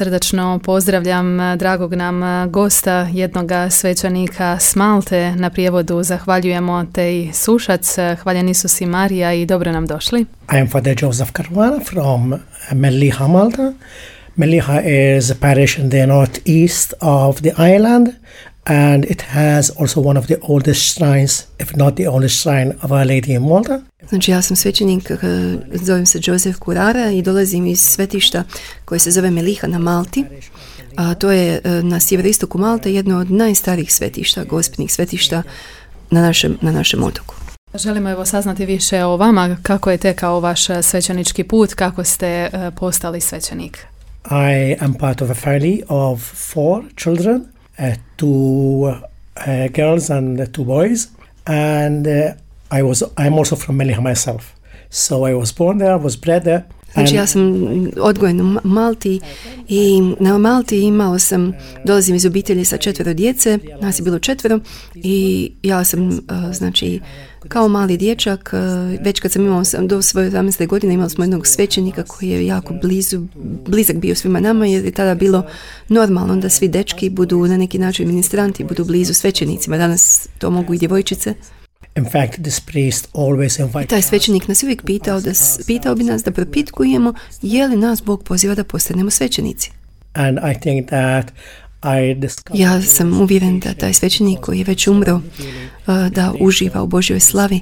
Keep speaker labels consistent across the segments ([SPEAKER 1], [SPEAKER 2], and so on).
[SPEAKER 1] srdačno pozdravljam dragog nam gosta, jednoga svećenika s Malte. Na prijevodu zahvaljujemo Tej Sušac. Hvaljen Isus i Marija i dobro nam došli.
[SPEAKER 2] I am Father Joseph Caruana from Melliha, Malta. Melliha is a parish in the northeast of the island, and it has also one of the oldest shrines, if not the oldest shrine of Our Lady in Malta.
[SPEAKER 3] Znači ja sam svećenik, zovem se Joseph Curara i dolazim iz svetišta koje se zove Melliha na Malti. A to je na sjeveroistoku Malte jedno od najstarijih svetišta, gospelnih svetišta na našem otoku.
[SPEAKER 1] Želimo evo saznati više o vama, kako je tekao vaš svećenički put, kako ste postali svećenik.
[SPEAKER 2] I am part of a family of 4 children, 2 girls and 2 boys, and I'm also from Melliha myself. So I was born there, was bred there.
[SPEAKER 3] Znači ja sam odgojen u Malti i na Malti dolazim iz obitelji sa 4 djece, nas je bilo 4 i ja sam znači kao mali dječak, već kad sam imao do svoje 18. godine imali smo jednog svećenika koji je jako blizak bio svima nama, jer je tada bilo normalno da svi dečki budu na neki način ministranti, budu blizu svećenicima. Danas to mogu i djevojčice.
[SPEAKER 2] In fact, this priest always invited.
[SPEAKER 3] Taj svećenik nas uvijek pitao bi nas da propitkujemo je li nas Bog poziva da postanemo svećenici.
[SPEAKER 2] And I think that
[SPEAKER 3] ja sam uvjeren da taj svećenik koji je već umro da uživa u Božjoj slavi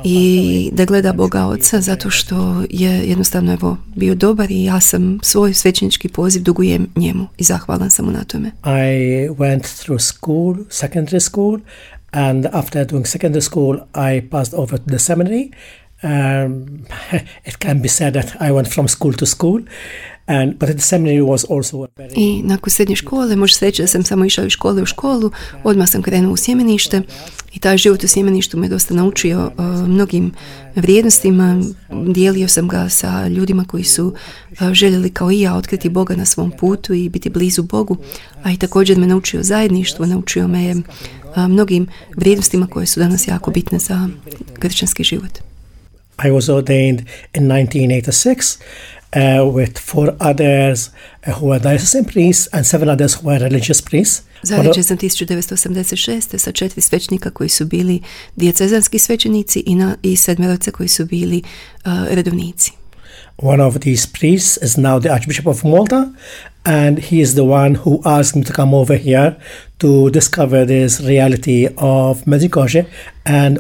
[SPEAKER 3] i da gleda Boga Oca zato što je jednostavno bio dobar i ja sam svoj svećenički poziv dugujem njemu i zahvalan sam mu na tome.
[SPEAKER 2] I went through school, secondary school, and after doing secondary school I passed over to the seminary. It can be said that I went from school to school. But the seminary was also a very...
[SPEAKER 3] I nakon srednje škole može se reći da sam samo išao iz škole u školu, odmah sam krenuo u sjemenište i taj život u sjemeništu me dosta naučio mnogim vrijednostima. Dijelio sam ga sa ljudima koji su željeli kao i ja otkriti Boga na svom putu i biti blizu Bogu, a i također me naučio zajedništvo, naučio me mnogim vrijednostima koje su danas jako bitne za kršćanski život.
[SPEAKER 2] I was ordained in 1986 with 4 others who were diocesan priests and 7 others who were religious priests.
[SPEAKER 3] Zaređen sam 1986. sa 4 svećenika koji su bili dijecezanski svećenici i 7 koji su bili redovnici.
[SPEAKER 2] One of these priests is now the Archbishop of Malta, and he is the one who asked me to come over here to discover this reality of Medjugorje and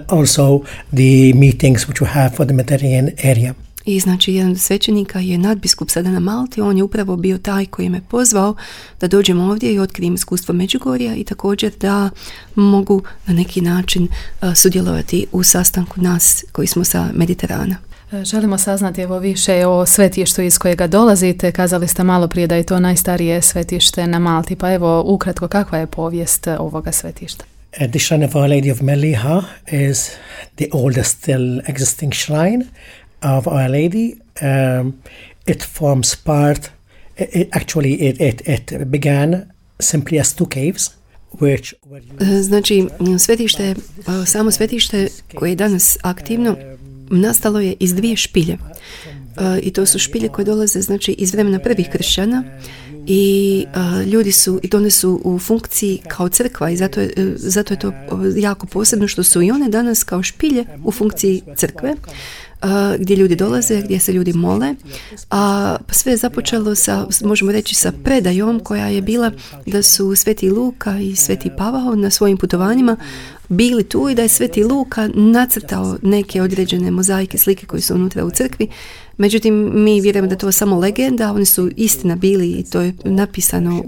[SPEAKER 2] also the meetings which we have for the Mediterranean area.
[SPEAKER 3] I znači jedan od svećenika je nadbiskup sada na Malti, on je upravo bio taj koji me pozvao da dođem ovdje i otkrijem iskustvo Međugorja i također da mogu na neki način sudjelovati u sastanku nas koji smo sa Mediterana.
[SPEAKER 1] Želimo saznati evo više o svetištu iz kojega dolazite. Kazali ste malo prije da je to najstarije svetište na Malti, pa evo ukratko kakva je povijest ovoga svetišta?
[SPEAKER 2] The shrine of Our Lady of Melliha is the oldest still existing shrine of Our Lady. It forms part, it began simply as 2 caves.
[SPEAKER 3] Znači, samo svetište koje je danas aktivno nastalo je iz 2 špilje. I to su špilje koje dolaze znači iz vremena prvih kršćana i ljudi su, i one su u funkciji kao crkva i zato je to jako posebno što su i one danas kao špilje u funkciji crkve, gdje ljudi dolaze, gdje se ljudi mole, a sve je započelo sa, možemo reći, sa predajom koja je bila da su Sveti Luka i Sveti Pavao na svojim putovanjima bili tu i da je Sveti Luka nacrtao neke određene mozaike, slike koje su unutra u crkvi. Međutim, mi vjerujemo da to je samo legenda, oni su istina bili i to je napisano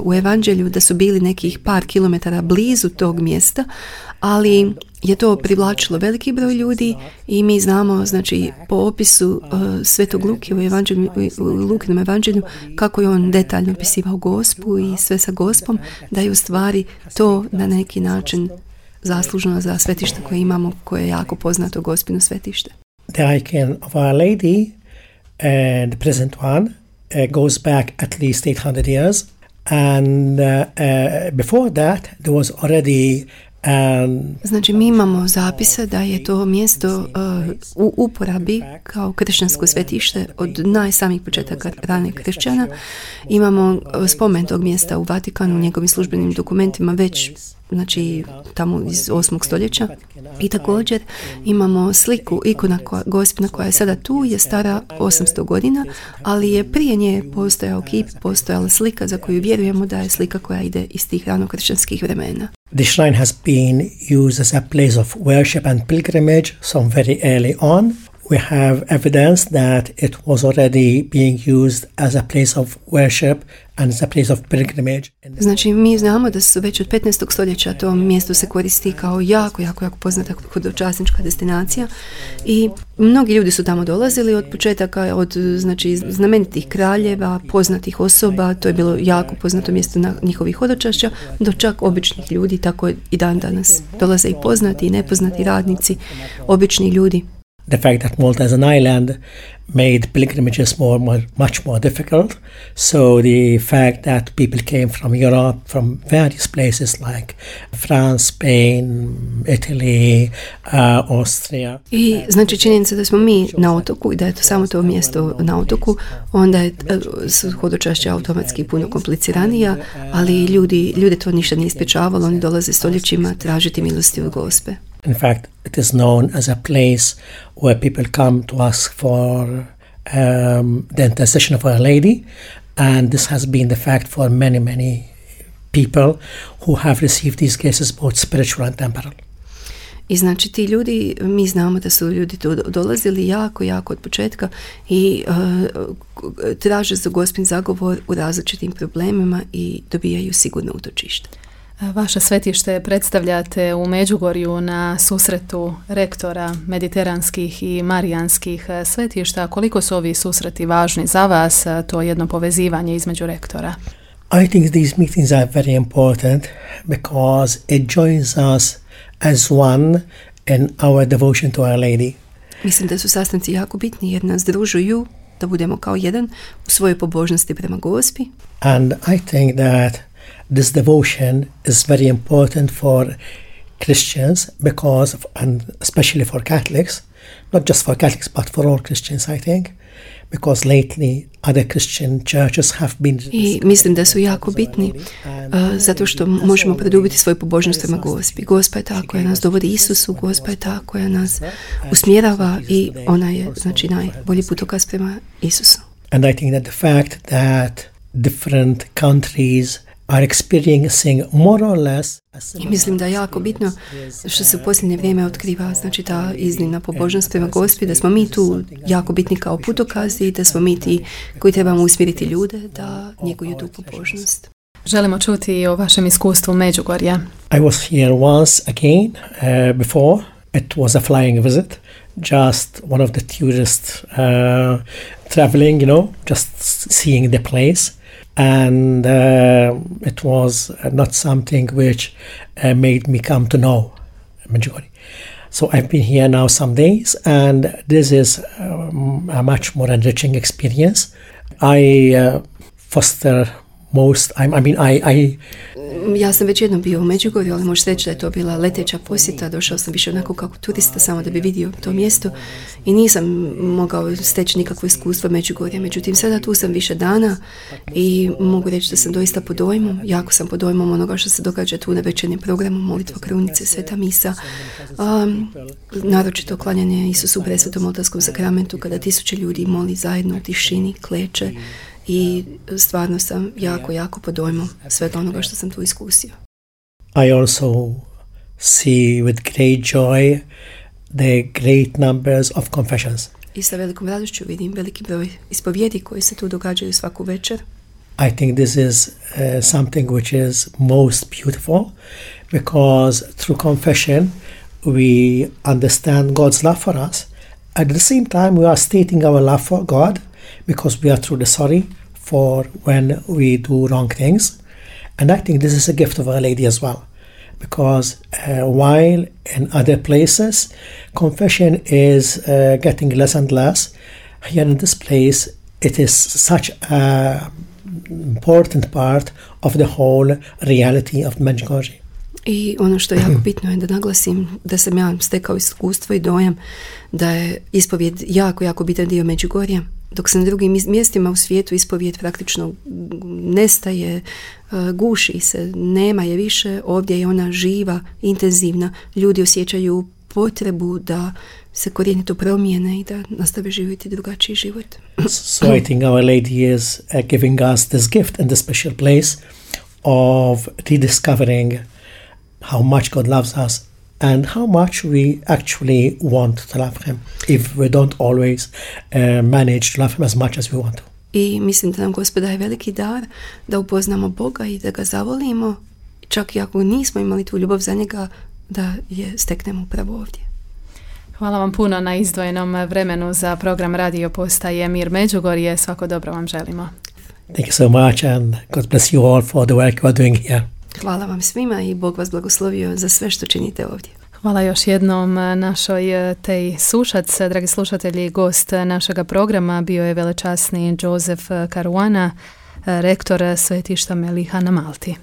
[SPEAKER 3] u Evanđelju da su bili nekih par kilometara blizu tog mjesta, ali je to privlačilo veliki broj ljudi i mi znamo, znači, po opisu Svetog Luke u Lukinom evanđelju kako je on detaljno opisivao Gospu i sve sa Gospom, da je u stvari to na neki način zaslužno za svetište koje imamo, koje je jako poznato Gospino svetište.
[SPEAKER 2] The icon of Our Lady, the present one, goes back at least 800 years. And before that, there was already
[SPEAKER 3] Znači, mi imamo zapise da je to mjesto u uporabi kao kršćansko svetište od najsamih početaka ranih kršćana. Imamo spomen tog mjesta u Vatikanu, u njegovim službenim dokumentima već, znači, tamo iz 8. stoljeća. I također imamo sliku, ikona Gospina koja je sada tu, je stara 800 godina, ali je prije nje postojao kip, postojala slika za koju vjerujemo da je slika koja ide iz tih ranokršćanskih vremena.
[SPEAKER 2] The shrine has been used as a place of worship and pilgrimage from very early on. We have evidence that it was already being used as a place of worship and as a place of pilgrimage.
[SPEAKER 3] Znači, mi znamo da su već od 15. stoljeća to mjesto se koristi kao jako poznata hodočasnička destinacija i mnogi ljudi su tamo dolazili od početaka, od, znači, znamenitih kraljeva, poznatih osoba, to je bilo jako poznato mjesto na njihovih hodočašća, do čak običnih ljudi, tako i dan danas. Dolaze i poznati i nepoznati radnici, obični ljudi.
[SPEAKER 2] The fact that Malta as an island made pilgrimages much more difficult. So the fact that people came from Europe, from various places like France, Spain, Italy, Austria.
[SPEAKER 3] I znači činjenica da smo mi na otoku i da je to samo to mjesto na otoku, onda je hodočašća automatski puno kompliciranija, ali ljude to ništa nije sprečavalo, oni dolaze stoljećima tražiti milosti od Gospe.
[SPEAKER 2] In fact, it is known as a place where people come to ask for the intercession of Our Lady, and this has been the fact for many people who have received these cases, both spiritual and temporal.
[SPEAKER 3] I znači ti ljudi, mi znamo da su ljudi tu dolazili jako od početka i traže za Gospin zagovor u različitim problemima i dobijaju sigurno utočište.
[SPEAKER 1] Vaše svetište predstavljate u Međugorju na susretu rektora mediteranskih i marijanskih svetišta. Koliko su ovi susreti važni za vas, to jedno povezivanje između rektora?
[SPEAKER 2] I think these meetings are very important because it joins us as one in our devotion to Our Lady.
[SPEAKER 3] Mislim da su sastanci jako bitni jer nas združuju da budemo kao jedan u svojoj pobožnosti prema Gospi.
[SPEAKER 2] And I think that this devotion is very important for Christians because, and especially for Catholics, not just for Catholics but for all Christians, I think, because lately other Christian churches have been...
[SPEAKER 3] I mislim da su jako bitni zato što možemo produbiti svoju pobožnost prema Gospi. Gospa je ta koja nas dovodi Isusu, Gospa je ta koja nas usmjerava i ona je, znači, najbolji putokaz prema Isusu.
[SPEAKER 2] And I think that the fact that different countries are experiencing more or less.
[SPEAKER 3] I mislim da je jako bitno što se u posljednje vrijeme otkriva, znači ta iznimna pobožnost prema Gospi, da smo mi tu jako bitni kao putokazi, da smo mi ti koji trebamo usmjeriti ljude da njeguju tu pobožnost.
[SPEAKER 1] Želimo čuti o vašem iskustvu Međugorja.
[SPEAKER 2] I was here once again before. It was a flying visit, just one of the tourists traveling, just seeing the place. And it was not something which made me come to know Medjugorje. So I've been here now some days, and this is a much more enriching experience. I foster most.
[SPEAKER 3] Ja sam već jednom bio u Međugorju, ali možeš reći da je to bila leteća posjeta. Došao sam više onako kao turista samo da bi vidio to mjesto i nisam mogao steći nikakvo iskustvo Međugorja. Međutim, sada tu sam više dana i mogu reći da sam doista pod dojmom. Jako sam pod dojmom onoga što se događa tu na večernjem programu, molitva krunice, sveta misa, naročito klanjanje Isusu u presvetom oltarskom sakramentu kada 1000 ljudi moli zajedno u tišini, kleče. I stvarno sam jako pod dojmom svega onoga što sam tu iskusio.
[SPEAKER 2] I also see with great joy the great numbers of confessions.
[SPEAKER 3] I sa velikom radošću vidim veliki broj ispovjedi koji se tu događaju svaku večer.
[SPEAKER 2] I think this is something which is most beautiful because through confession we understand God's love for us. At the same time we are stating our love for God because we are truly sorry for when we do wrong things. And I think this is a gift of Our Lady as well. Because while in other places confession is getting less and less, here in this place it is such an important part of the whole reality of Medjugorje.
[SPEAKER 3] I ono što je jako bitno je da naglasim da sam ja stekao iskustvo i dojam da je ispovijed jako, jako bitan dio Međugorja. Dok se na drugim mjestima u svijetu ispovijed praktično nestaje, guši se, nema je više, ovdje je ona živa, intenzivna. Ljudi osjećaju potrebu da se korijenito promijene i da nastave živjeti drugačiji život.
[SPEAKER 2] So I think Our Lady is giving us this gift and this special place of rediscovering how much God loves us and how much we actually want to love Him if we don't always manage to love Him as much as we want to.
[SPEAKER 3] I mislim da nam Gospod daje veliki dar da upoznamo Boga i da ga zavolimo, čak i ako nismo imali tu ljubav za njega, da je steknemo upravo ovdje.
[SPEAKER 1] Hvala vam puno na izdvojenom vremenu za program Radio Postaje Mir Međugorje. Svako dobro vam želimo.
[SPEAKER 2] Thank you so much and God bless you all for the work you are doing here.
[SPEAKER 3] Hvala vam svima i Bog vas blagoslovio za sve što činite ovdje.
[SPEAKER 1] Hvala još jednom našoj Tej Sušac. Dragi slušatelji, gost našega programa bio je velečasni Joseph Caruana, rektor svetišta Meliha na Malti.